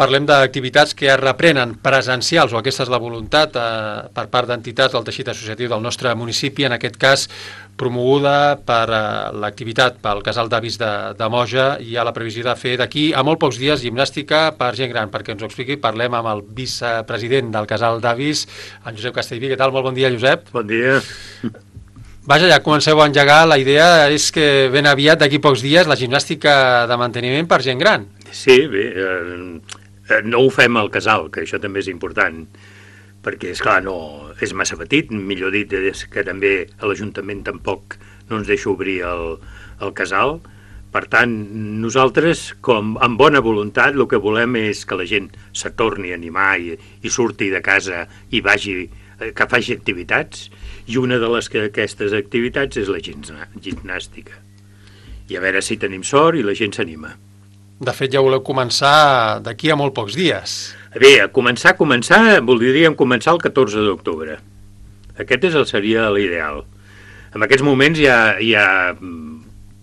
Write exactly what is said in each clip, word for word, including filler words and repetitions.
parlem d'activitats que es reprenen presencials, o aquesta és la voluntat eh, per part d'entitats del teixit associatiu del nostre municipi, en aquest cas promoguda per eh, l'activitat pel Casal d'Avis de, de Moja. Hi ha la previsió de fer d'aquí a molt pocs dies gimnàstica per gent gran. Perquè ens ho expliqui, parlem amb el vicepresident del Casal d'Avis, en Josep Castellví. Què tal? Molt bon dia, Josep. Bon dia. Vaja, ja comenceu a engegar. La idea és que ben aviat, d'aquí pocs dies, la gimnàstica de manteniment per gent gran. Sí, bé, eh, no ho fem al casal, que això també és important, perquè, esclar, no, és massa petit, millor dit, és que també a l'Ajuntament tampoc no ens deixa obrir el, el casal. Per tant, nosaltres, com amb bona voluntat, el que volem és que la gent se torni a animar i, i surti de casa i vagi, que faci activitats, i una de les que aquestes activitats és la gimnàstica. I a veure si tenim sort i la gent s'anima. De fet, ja voleu començar d'aquí a molt pocs dies. Bé, a començar, a començar, voldríem començar el catorze d'octubre. Aquest és el, seria l'ideal. En aquests moments hi ha, hi ha,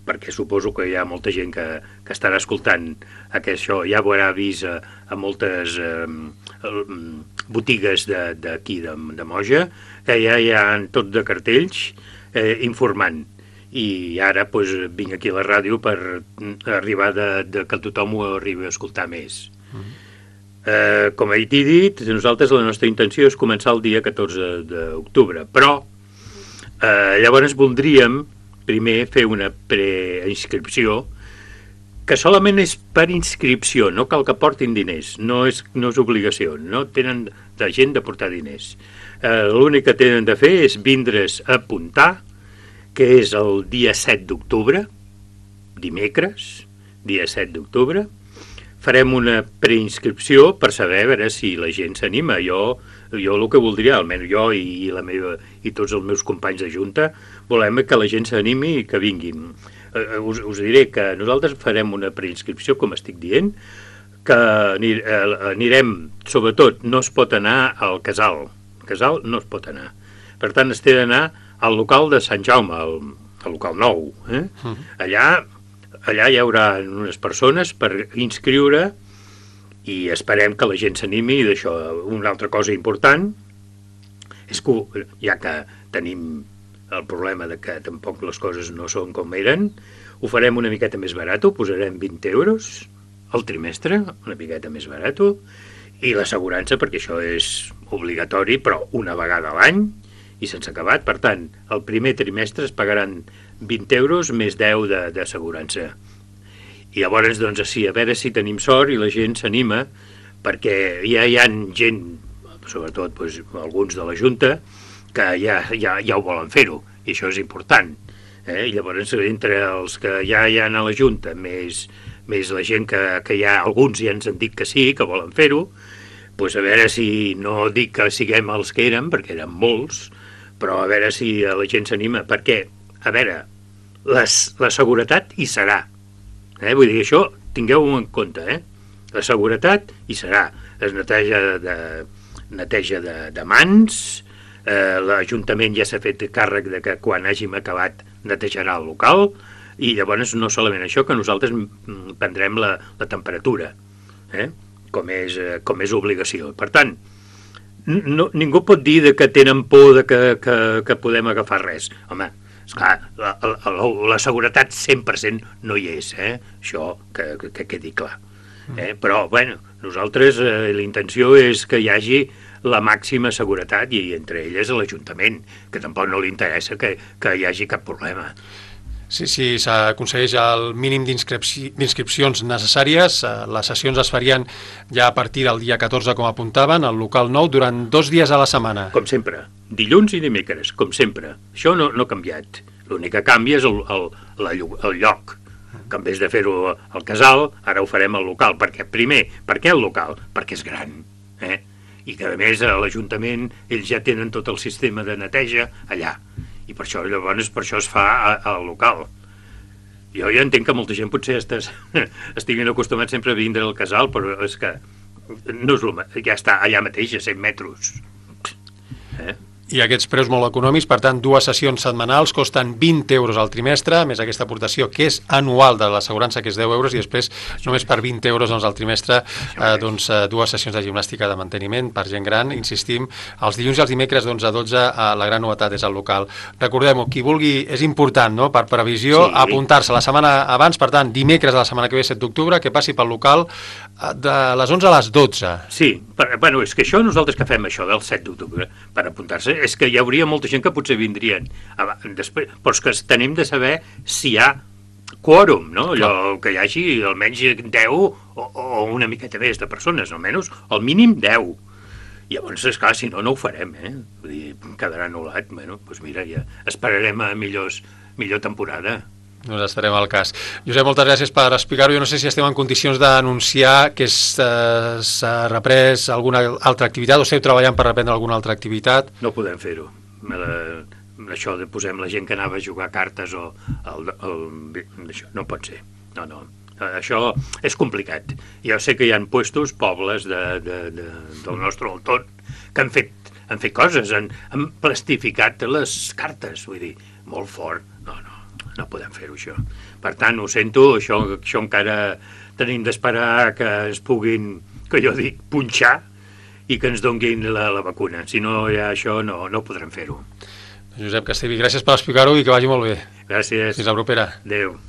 perquè suposo que hi ha molta gent que, que estarà escoltant aquest això, ja ho haurà vist a, a moltes eh, botigues d'aquí de, de, de Moja, que ja hi ha tot de cartells eh, informant. I ara pues, vinc aquí a la ràdio per arribar de, de que tothom ho arribi a escoltar més. Uh-huh. eh, com he dit, nosaltres la nostra intenció és començar el dia catorze d'octubre, però eh, llavors voldríem primer fer una preinscripció que solament és per inscripció, no cal que portin diners, no és, no és obligació, no tenen de gent de portar diners. Eh, l'únic que tenen de fer és vindre's a apuntar, que és el dia set d'octubre, dimecres, dia set d'octubre. Farem una preinscripció per saber a veure si la gent s'anima. Jo, jo el que voldria, almenys jo i, i, la meva, i tots els meus companys de junta, volem que la gent s'animi i que vinguin. Eh, us, us diré que nosaltres farem una preinscripció, com estic dient, que anir, eh, anirem, sobretot, no es pot anar al casal. Al casal no es pot anar. Per tant, es té d'anar al local de Sant Jaume, al, al local nou. Eh? Uh-huh. Allà, allà hi haurà unes persones per inscriure i esperem que la gent s'animi d'això. Una altra cosa important és que, ja que tenim el problema de que tampoc les coses no són com eren, ho farem una miqueta més barat, ho posarem vint euros al trimestre, una miqueta més barat, i l'assegurança, perquè això és obligatori, però una vegada a l'any, i sense acabat. Per tant, el primer trimestre es pagaran vint euros més deu d'assegurança. I llavors, doncs, sí, a veure si tenim sort i la gent s'anima, perquè ja hi ha gent, sobretot doncs, alguns de la Junta, que ja, ja, ja ho volen fer-ho, i això és important. Eh? I llavors, entre els que ja hi ha a la Junta, més, més la gent que, que ja, alguns ja ens han dit que sí, que volen fer-ho, doncs a veure si, no dic que siguem els que érem, perquè eren molts, però a veure si la gent s'anima, perquè, a veure, les, la seguretat hi serà. Eh? Vull dir, això tingueu-ho en compte, eh? La seguretat hi serà. Es neteja de, neteja de, de mans, eh, l'Ajuntament ja s'ha fet càrrec de que quan hàgim acabat netejarà el local, i llavors no solament això, que nosaltres prendrem la, la temperatura, eh? com, és, com és obligació. Per tant, no, ningú pot dir de que tenen por de que, que, que podem agafar res. Home, esclar, la, la, la seguretat cent per cent no hi és, eh? Això que, que, que quedi clar. Eh? Però, bueno, nosaltres eh, la intenció és que hi hagi la màxima seguretat, i entre elles l'Ajuntament, que tampoc no li interessa que, que hi hagi cap problema. Sí, sí, s'aconsegueix el mínim d'inscripcions necessàries. Les sessions es farien ja a partir del dia catorze, com apuntaven, al local nou, durant dos dies a la setmana. Com sempre, dilluns i dimecres, com sempre. Això no, no ha canviat. L'únic que canvia és el, el, la, el lloc. Que en vez de fer-ho al casal, ara ho farem al local. Perquè, primer, per què el local? Perquè és gran. Eh? I que, a més, a l'Ajuntament ells ja tenen tot el sistema de neteja allà. I per això, llavors, per això es fa al local. Jo ja entenc que molta gent potser estàs, estiguin acostumats sempre a vindre al casal, però és que no és el, ja està allà mateix, a cent metres. Eh? i aquests preus molt econòmics, per tant, dues sessions setmanals costen vint euros al trimestre, més aquesta aportació que és anual de l'assegurança, que és deu euros, i després només per vint euros doncs, al trimestre eh, doncs, eh, dues sessions de gimnàstica de manteniment per gent gran, insistim, els dilluns i els dimecres d'onze a dotze, eh, la gran novetat és al local. Recordem-ho, qui vulgui, és important, no?, per previsió, sí. apuntar-se la setmana abans, per tant, dimecres de la setmana que ve, set d'octubre, que passi pel local eh, de les onze a les dotze. Sí, per, bueno, és que això, nosaltres que fem això del set d'octubre, per apuntar-se, és que hi hauria molta gent que potser vindrien després, però és que tenim de saber si hi ha quòrum, no? Allò que hi hagi almenys deu o, o una miqueta més de persones, almenys el mínim deu. Llavors, esclar, si no, no ho farem, eh? Vull dir, quedarà anul·lat. Bueno, doncs mira, ja esperarem a millors, millor temporada. Doncs estarem al cas. Josep, moltes gràcies per explicar-ho. Jo no sé si estem en condicions d'anunciar que eh, s'ha reprès alguna altra activitat o esteu treballant per reprendre alguna altra activitat. No podem fer-ho. Això de posem la gent que anava a jugar cartes o el, el, això no pot ser. No, no. Això és complicat. Jo sé que hi ha puestos, pobles de, de, de, del nostre entorn que han fet, han fet coses, han, han plastificat les cartes, vull dir, molt fort. No, no. No podem fer-ho, això. Per tant, ho sento, això, això encara tenim d'esperar que es puguin, que jo dic, punxar i que ens donguin la, la vacuna. Si no hi ha això, no, no podrem fer-ho. Josep Castellví, gràcies per explicar-ho i que vagi molt bé. Gràcies. Fins la propera. Adéu.